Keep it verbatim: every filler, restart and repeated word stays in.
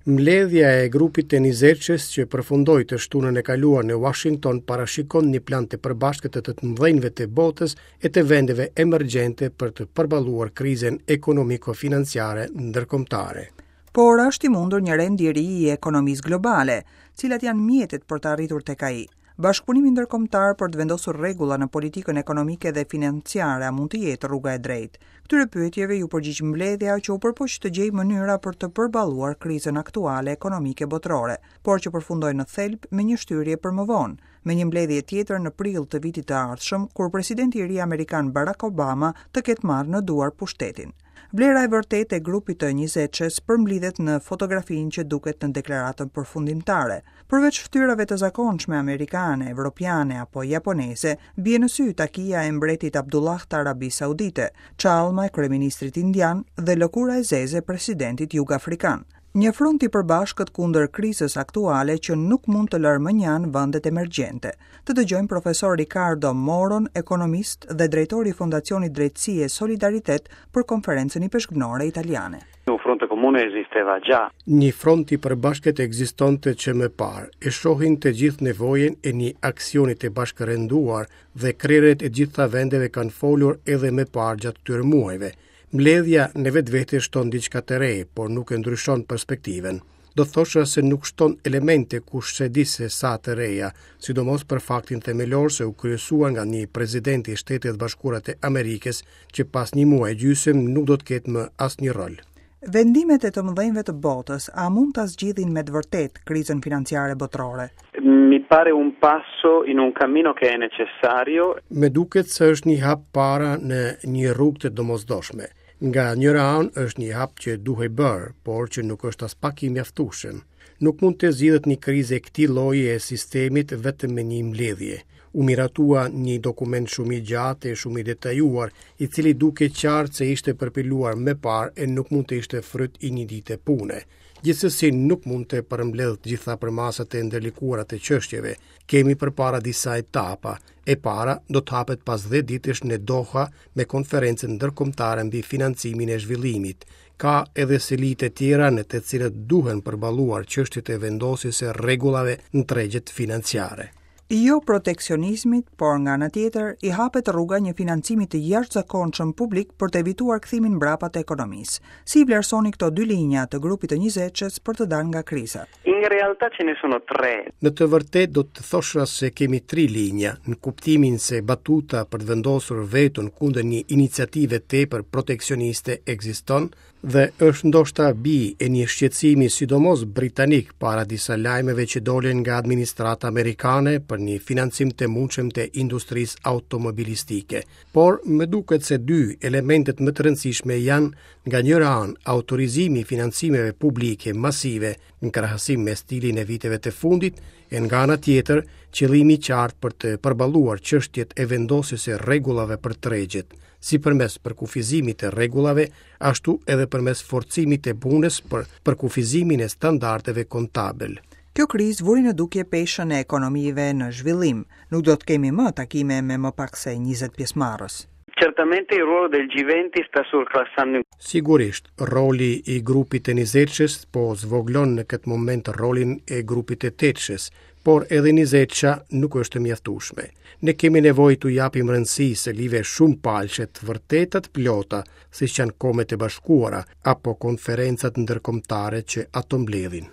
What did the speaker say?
Mbledhja e grupit të njëzetshes që përfundoi të shtunën e kaluar në Washington parashikon një plan të përbashkët të të mëdhenjve të botës e të vendeve emergjente për të përballuar krizën ekonomiko-financiare ndërkombëtare. Por është i mundur një rend i ri i ekonomisë globale? Cilat janë mjetet për të arritur tek ai? Bashkëpunimi ndërkombëtar për të vendosur rregulla në politikën ekonomike dhe financiare a mund të jetë rruga e drejtë? Këtyre pyetjeve iu përgjigj mbledhja që u përpoq të gjejë mënyra për të përballuar krizën aktuale ekonomike botërore, por që përfundoi në thelb me një shtyrje për më vonë, me një mbledhje tjetër në prill të vitit të ardhshëm, kur presidenti i ri amerikan Barack Obama të ketë marrë në duar pushtetin. Vlera e vërtetë e grupit të njëzetshes përmblidhet në fotografinë që duket në deklaratën përfundimtare. Përveç fytyrave të zakonshme amerikane, evropiane apo japoneze, bie në sy takia e mbretit Abdullah të Arabisë Saudite, çallma e kryeministrit indian dhe lëkura e zezë e presidentit jugafrikan. Një front i përbashkët kundër krizës aktuale që nuk mund të lërë mënjanë vendet emergjente. Të dëgjojmë profesor Ricardo Moron, ekonomist dhe drejtori i Fondacionit Drejtësi e Solidaritet, për Konferencën Ipeshkvnore Italiane. Un fronte comune esisteva già. Një front i përbashkët ekzistonte që më parë. E shohin të gjithë nevojën e një aksioni të bashkërenduar dhe krerët e gjitha vendeve kanë folur edhe më parë gjatë këtyre muajve. Mbledhja në vetvete shton diçka të re, por nuk e ndryshon perspektivën. Do thosha se nuk shton elemente kush se di se sa të reja, sidomos për faktin themelor se u kryesua nga një president i Shteteve të Bashkuara të Amerikës që pas një muaj gjysmë nuk do të ketë më asnjë rol. Vendimet e të mëdhenjve të botës a mund ta zgjidhin me të vërtetë krizën financiare botërore? Mi pare un passo in un cammino che è necessario. Me duket se është një hap para në një rrugë të domosdoshme. Nga njëra anë është një hap që duhej bërë, por që nuk është aspak i mjaftueshëm. Nuk mund të zgjidhet një krizë e këtij lloji e sistemit vetëm me një mbledhje. U miratua një dokument shumë i gjatë e shumë i detajuar, i cili duke qartë se ishte përpiluar më parë e nuk mund të ishte fryt i një dite pune. Gjithsesi nuk mund të përmbledh të gjitha përmasat e ndërlikuara të çështjeve. Kemi përpara disa etapa. E para do të hapet pas dhjetë ditësh në Doha me konferencën ndërkombëtare mbi financimin e zhvillimit. Ka edhe selitë e tjera në të cilët duhen përballuar çështjet e vendosjes së rregullave në tregjet financiare. Jo proteksionizmit, por nga ana tjetër i hapet rruga një financimi të jashtëzakonshëm publik për të evituar kthimin mbrapa të ekonomisë. Si i vlerësoni këto dy linja të grupit të njëzetshes për të dalë nga kriza? In realtà ce ne sono tre. Në të vërtetë do të thosha se kemi tri linja, në kuptimin se batuta për të vendosur vetën kundër një iniciative tepër proteksioniste ekziston dhe është ndoshta bi e një shqetësimi sidomos britanik para disa lajmeve që dolën nga administrata amerikane për një financim të mundshëm të industrisë automobilistike. Por më duket se dy elementet më të rëndësishme janë nga njëra anë autorizimi i financimeve publike masive në krahasim me stilin e viteve të fundit, e nga ana tjetër qëllimi i qartë për të përballuar çështjet e vendosjes së rregullave për tregjet, si përmes përkufizimit të rregullave, ashtu edhe përmes forcimit të punës për përkufizimin e standardeve kontabël. Kjo krizë vuri në dukje peshën e ekonomive në zhvillim. Nuk do të kemi më takime me më pak se njëzet pjesëmarrës. Certamente il ruolo del G venti sta surclassando. Sigurisht, roli i grupit të njëzetshes po zvoglon në këtë moment rolin e grupit të tetëshes, por edhe njëzetsha nuk është e mjaftueshme. Ne kemi nevojë t'u japim rëndësi selive shumë palëshe të vërteta të plota, siç janë Kombet e Bashkuara apo konferencat ndërkombëtare që ato mbledhin.